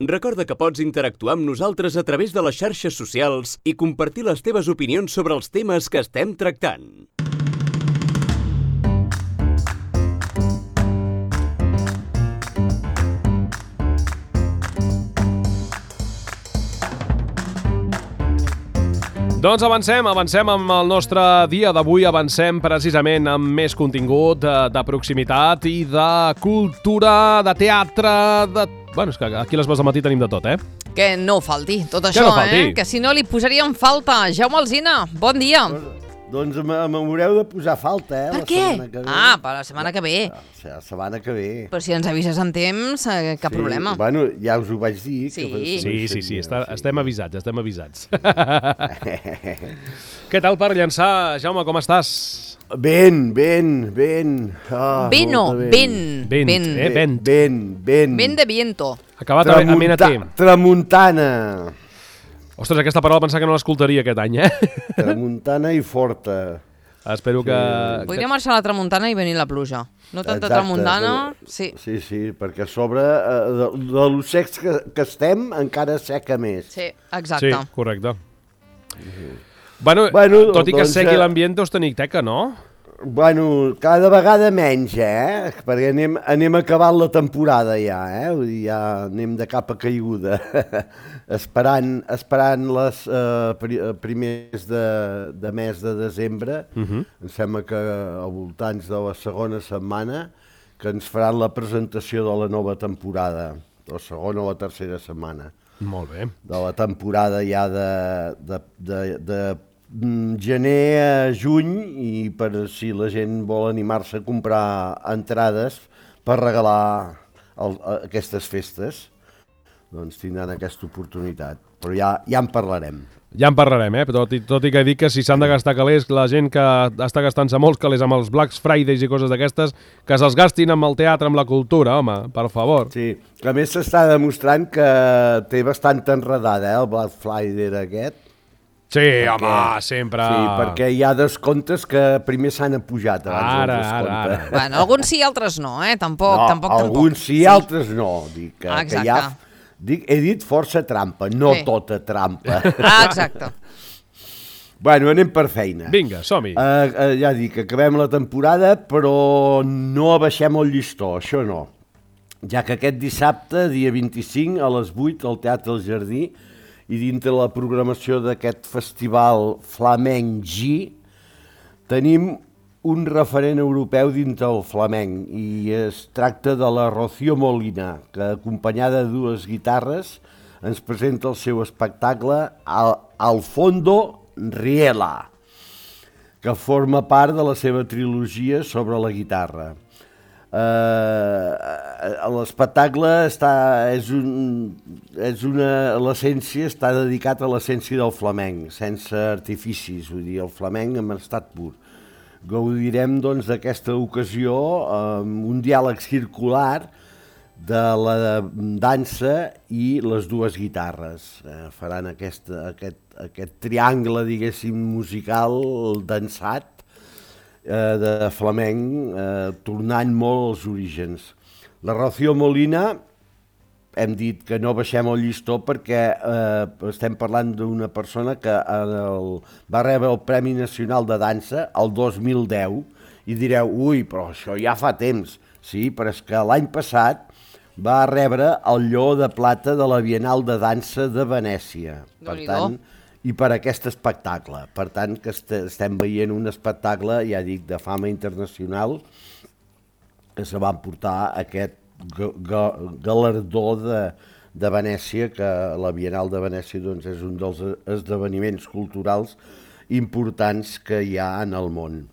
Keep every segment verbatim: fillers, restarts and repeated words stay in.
Recorda que pots interactuar amb nosaltres a través de les xarxes socials i compartir les teves opinions sobre els temes que estem tractant. Doncs avancem, avancem amb el nostre dia d'avui, avancem precisament amb més contingut de, de proximitat i de cultura, de teatre, de... Bueno, és que aquí a les veus del matí tenim de tot, eh? Que no falti tot això, no falti. eh? Que si no li posaríem falta. Jaume Alsina, bon dia. Doncs m'haureu de posar falta, eh? Per la què? setmana que ve. Ah, per la setmana que ve. La setmana que ve. Però si ens avises en temps, eh, cap sí, problema. Bueno, ja us ho vaig dir. Sí. Que Sí, sí, sí, està, sí. estem avisats, estem avisats. Què tal per llançar, Jaume, com estàs? Ben, ben, ben. Ah, Ben no, molta ben. Vent, Ben. eh, vent. Ben, ben. Ben de viento. Acabat a Amenatí. Tramuntana. Ostres, aquesta paraula pensava que no l'escoltaria aquest any, eh? Tramuntana i forta. Espero que... Podria marxar a la tramuntana i venir la pluja. No tanta Exacte, tramuntana, però- sí. Sí, sí, perquè a sobre eh, de, de lo secs que, que estem encara seca més. Sí, Sí, exacte. correcte. Bueno, Bueno, tot i que doncs, segui eh, l'ambient, us teniu teca, no? Bueno, cada vegada menys, eh? Perquè anem, anem acabant la temporada ja, eh? Vull dir, ja anem de cap a caiguda. esperant, esperant les eh, pri, eh, primers de, de mes de desembre, uh -huh. em sembla que al voltants de la segona setmana, que ens faran la presentació de la nova temporada, la segona o la tercera setmana, Molt bé. de la temporada ja de, de, de, de gener a juny, i per si la gent vol animar-se a comprar entrades per regalar el, aquestes festes, doncs tindran aquesta oportunitat. Però ja, ja en parlarem. Ja en parlarem, eh? Tot i, tot i que dic que si s'han de gastar calés, la gent que està gastant-se molts calés amb els Black Fridays i coses d'aquestes, que se'ls gastin amb el teatre, amb la cultura, home, per favor. Sí, que a més s'està demostrant que té bastanta enredada, eh, el Black Friday aquest. Sí, Perquè- home, sempre. Sí, perquè hi ha descomptes que primer s'han apujat abans Ara, del ara, descompte. ara. Bueno, alguns sí, altres no, eh? Tampoc, No, tampoc, tampoc. alguns sí, altres no. Dic que, que Exacte. hi ha, dic, he dit força trampa, no Sí. tota trampa. Ah, exacte. Bueno, anem per feina. Vinga, som-hi. Uh, uh, ja dic, acabem la temporada, però no abaixem el llistó, això no. Ja que aquest dissabte, dia vint-i-cinc, a les vuit, al Teatre El Jardí, i dintre la programació d'aquest festival Flamenc G, tenim un referent europeu dintre el flamenc, i es tracta de la Rocío Molina, que acompanyada de dues guitarres ens presenta el seu espectacle Al, Al Fondo Riela, que forma part de la seva trilogia sobre la guitarra. Uh, l'espectacle està, és un, és una, l'essència està dedicat a l'essència del flamenc, sense artificis, vull dir, el flamenc en estat pur. Gaudirem, doncs, d'aquesta ocasió amb un diàleg circular de la dansa i les dues guitarres. Eh, faran aquest, aquest, aquest triangle, diguéssim, musical, dansat, eh, de flamenc, eh, tornant molt als orígens. La Rocío Molina, hem dit que no baixem el llistó perquè eh, estem parlant d'una persona que el, va rebre el Premi Nacional de Dansa el dos mil deu, i direu, ui, però això ja fa temps. Sí, però és que l'any passat va rebre el Lleó de Plata de la Bienal de Dansa de Venècia. Per tant, i per aquest espectacle. Per tant, que est estem veient un espectacle, ja dic, de fama internacional, que se va emportar aquest ga ga galardó de, de Venècia, que la Bienal de Venècia, doncs, és un dels esdeveniments culturals importants que hi ha en el món.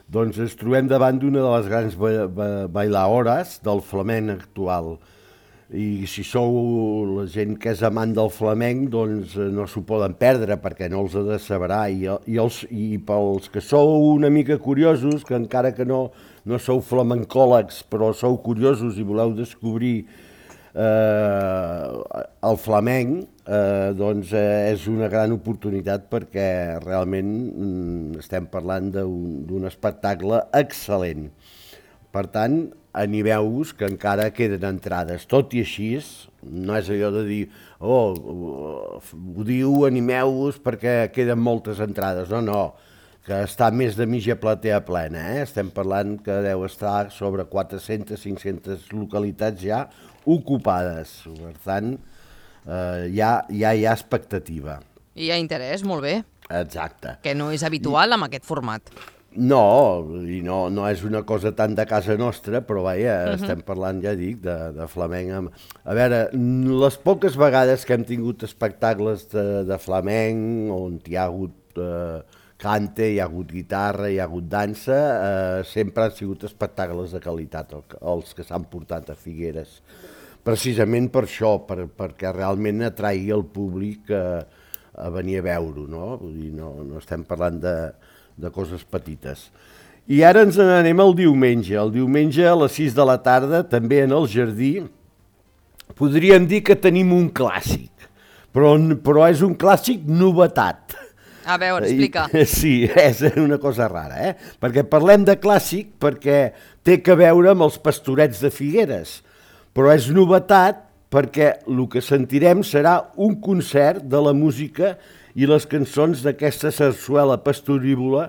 Doncs ens trobem davant d'una de les grans ba ba bailaores del flamenc actual. I si sou la gent que és amant del flamenc, doncs no s'ho poden perdre, perquè no els ha de saberar. I, i, els, I pels que sou una mica curiosos, que encara que no, no sou flamencòlegs, però sou curiosos i voleu descobrir eh, el flamenc, eh, doncs eh, és una gran oportunitat, perquè realment mm, estem parlant d'un espectacle excel·lent. Per tant, animeu-vos que encara queden entrades. Tot i així, no és allò de dir, oh, ho diu, animeu-vos perquè queden moltes entrades. No, no, que està més de mitja platea plena, eh? Estem parlant que deu estar sobre quatre-centes, cinc-centes localitats ja ocupades. Per tant, eh, ja, ja hi ha expectativa. I hi ha interès, molt bé. Exacte. Que no és habitual amb aquest format. No, i no, no és una cosa tan de casa nostra, però vaja, uh-huh. estem parlant, ja dic, de, de flamenc. A veure, les poques vegades que hem tingut espectacles de, de flamenc, on hi ha hagut eh, cante, hi ha hagut guitarra, hi ha hagut dansa, eh, sempre han sigut espectacles de qualitat, els que s'han portat a Figueres. Precisament per això, per, perquè realment atraigui el públic eh, a venir a veure-ho, no? Vull dir, no, no estem parlant de, de coses petites. I ara ens n'anem al diumenge. El diumenge a les sis de la tarda, també en el jardí, podríem dir que tenim un clàssic, però, però és un clàssic novetat. A veure, explica. I, sí, és una cosa rara, eh? Perquè parlem de clàssic perquè té que veure amb els Pastorets de Figueres, però és novetat perquè el que sentirem serà un concert de la música i les cançons d'aquesta sarsuela pastorívola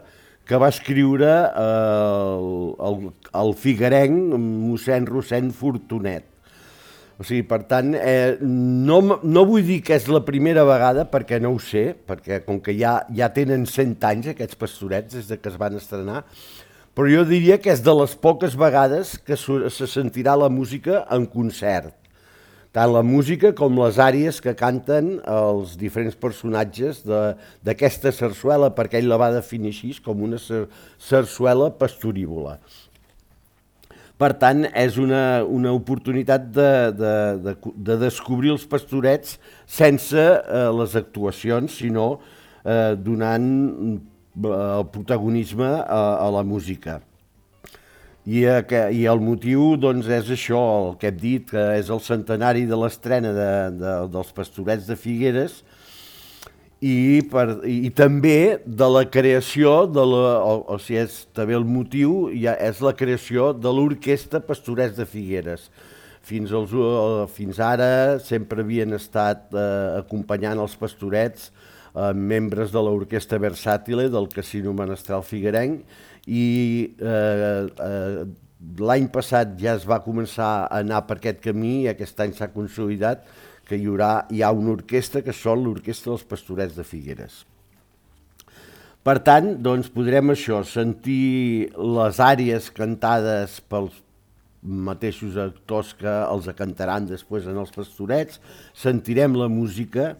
que va escriure el, el, el figuerenc mossèn Rossend Fortunet. O sigui, per tant, eh, no, no vull dir que és la primera vegada, perquè no ho sé, perquè com que ja, ja tenen cent anys aquests Pastorets des de que es van estrenar, però jo diria que és de les poques vegades que se sentirà la música en concert. Tant la música com les àries que canten els diferents personatges d'aquesta sarsuela, perquè ell la va definir així, com una sarsuela pastorívola. Per tant, és una, una oportunitat de, de, de, de descobrir els Pastorets sense eh, les actuacions, sinó eh, donant el protagonisme a, a la música. I, I el motiu doncs, és això, el que hem dit, que és el centenari de l'estrena de, de, dels Pastorets de Figueres i, per, i també de la creació, de la, o, o sigui, és també el motiu, ja és la creació de l'Orquestra Pastorets de Figueres. Fins, als, fins ara sempre havien estat eh, acompanyant els Pastorets eh, membres de l'Orquestra Versàtile del Casino Menestral Figuerenc, i eh, eh, l'any passat ja es va començar a anar per aquest camí i aquest any s'ha consolidat que hi haurà hi ha una orquestra que són l'Orquestra dels Pastorets de Figueres. Per tant, doncs, podrem això, sentir les àries cantades pels mateixos actors que els cantaran després en els Pastorets, sentirem la música,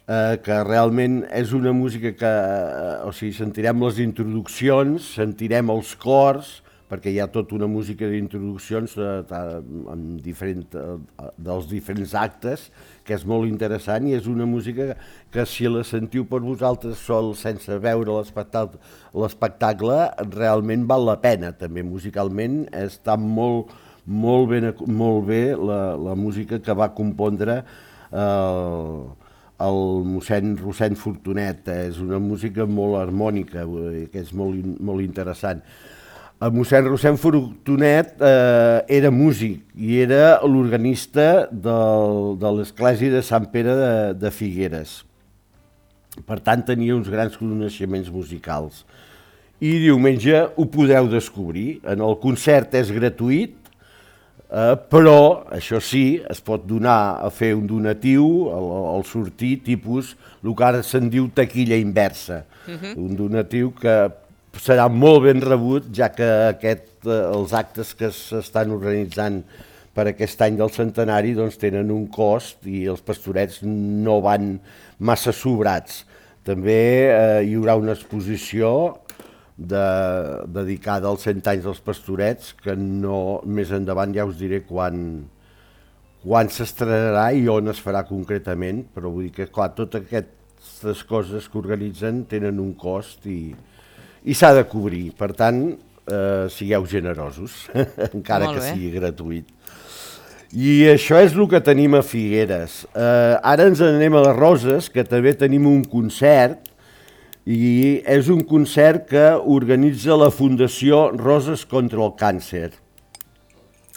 Eh, que realment és una música que, eh, o sigui, sentirem les introduccions, sentirem els cors, perquè hi ha tota una música d'introduccions eh, en diferent, eh, dels diferents actes, que és molt interessant i és una música que si la sentiu per vosaltres sol sense veure l'espectacle, realment val la pena, també musicalment està molt, molt, ben, molt bé la, la música que va compondre eh, el mossèn Rossend Fortunet. És una música molt harmònica, que és molt, molt interessant. El mossèn Rossend Fortunet eh, era músic i era l'organista de l'església de Sant Pere de, de Figueres. Per tant, tenia uns grans coneixements musicals. I diumenge ho podreu descobrir. En el concert és gratuït, Uh, però, això sí, es pot donar a fer un donatiu al, al sortir, tipus, el que ara se'n diu taquilla inversa. Uh-huh. Un donatiu que serà molt ben rebut, ja que aquest, uh, els actes que s'estan organitzant per aquest any del centenari doncs, tenen un cost i els Pastorets no van massa sobrats. També uh, hi haurà una exposició De, dedicada als cent anys dels Pastorets, que no, més endavant ja us diré quan, quan s'estrenarà i on es farà concretament, però vull dir que clar, totes aquestes coses que organitzen tenen un cost i, i s'ha de cobrir, per tant, eh, sigueu generosos, encara que sigui gratuït. I això és el que tenim a Figueres. Eh, ara ens anem a les Roses, que també tenim un concert, i és un concert que organitza la Fundació Roses contra el Càncer.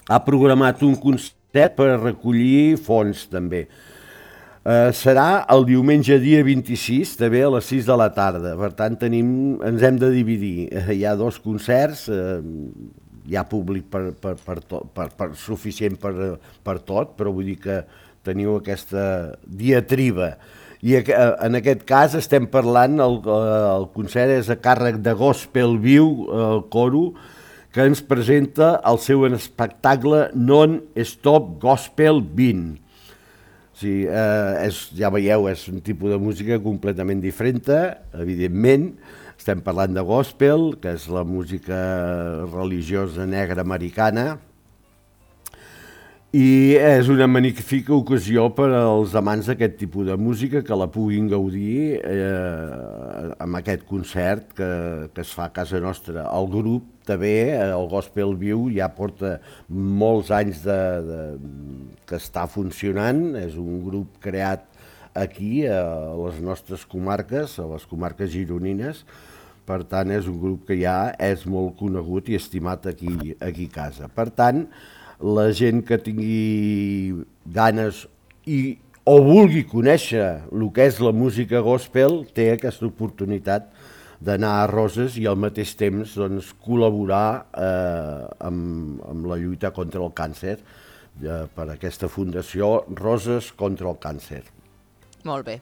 ha programat un concert per recollir fons, també. Uh, serà el diumenge dia vint-i-sis, també a les sis de la tarda. Per tant, tenim, ens hem de dividir. Uh, hi ha dos concerts, uh, hi ha públic per, per, per, to, per, per suficient per, per tot, però vull dir que teniu aquesta diatriba. I uh, en aquest cas estem parlant, el, el concert és a càrrec de Gospel Viu, el coro, que ens presenta el seu espectacle Non-Stop Gospel vint. Sí, eh, és, ja veieu, és un tipus de música completament diferent, evidentment. Estem parlant de gospel, que és la música religiosa negra americana, i és una magnífica ocasió per als amants d'aquest tipus de música que la puguin gaudir eh, amb aquest concert que, que es fa a casa nostra. El grup també, el Gospel Viu, ja porta molts anys de, de, que està funcionant, és un grup creat aquí, a les nostres comarques, a les comarques gironines, per tant és un grup que ja és molt conegut i estimat aquí, aquí a casa. Per tant, la gent que tingui ganes i, o vulgui conèixer el que és la música gospel té aquesta oportunitat d'anar a Roses i al mateix temps doncs, col·laborar eh, amb, amb la lluita contra el càncer eh, per aquesta fundació Roses contra el càncer. Molt bé.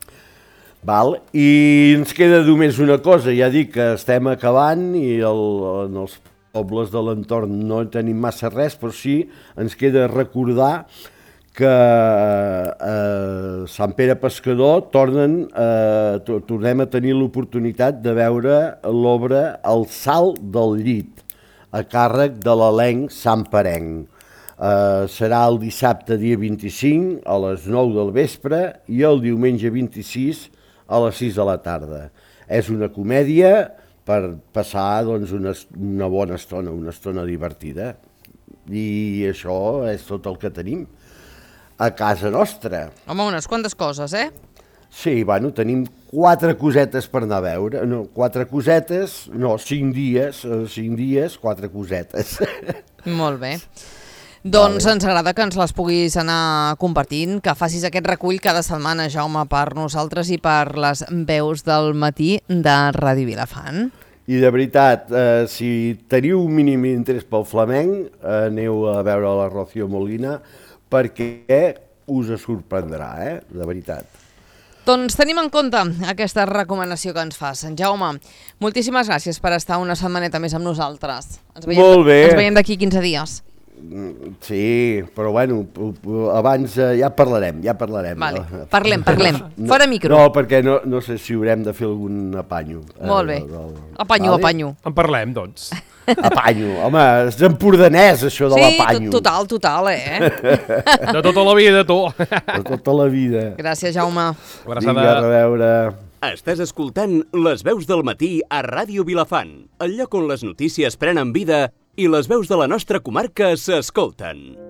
Val? I ens queda només una cosa, ja dic que estem acabant i el, en els pobles de l'entorn no tenim massa res, però sí ens queda recordar que a Sant Pere Pescador tornen, eh, tornem a tenir l'oportunitat de veure l'obra El salt del llit, a càrrec de l'elenc santperenc. Eh, serà el dissabte dia vint-i-cinc a les nou del vespre i el diumenge vint-i-sis a les sis de la tarda. És una comèdia per passar doncs, una, una bona estona, una estona divertida. I això és tot el que tenim a casa nostra. Home, unes quantes coses, eh? Sí, bueno, tenim quatre cosetes per anar a veure. No, quatre cosetes, no, cinc dies, cinc dies, quatre cosetes. Molt bé. Doncs vale. Ens agrada que ens les puguis anar compartint, que facis aquest recull cada setmana, Jaume, per nosaltres i per les veus del matí de Ràdio Vilafant. I de veritat, eh, si teniu un mínim interès pel flamenc, eh, aneu a veure la Rocío Molina, perquè us sorprendrà, eh? De veritat. Doncs tenim en compte aquesta recomanació que ens fas. En Jaume, moltíssimes gràcies per estar una setmaneta més amb nosaltres. Ens veiem, Molt bé. Ens veiem d'aquí quinze dies. Sí, però bueno, abans ja parlarem, ja parlarem. Vale. Parlem, parlem, fora micro. No, perquè no, no sé si haurem de fer algun apanyo. Molt bé, apanyo, vale? Apanyo. En parlem, doncs. Apanyo, home, és empordanès això de sí, l'apanyo. Sí, total, total, eh? De tota la vida, tu. De tota la vida. Gràcies, Jaume. Vinga, a reveure. Estàs escoltant Les veus del matí a Ràdio Vilafant, el lloc on les notícies prenen vida i les veus de la nostra comarca s'escolten.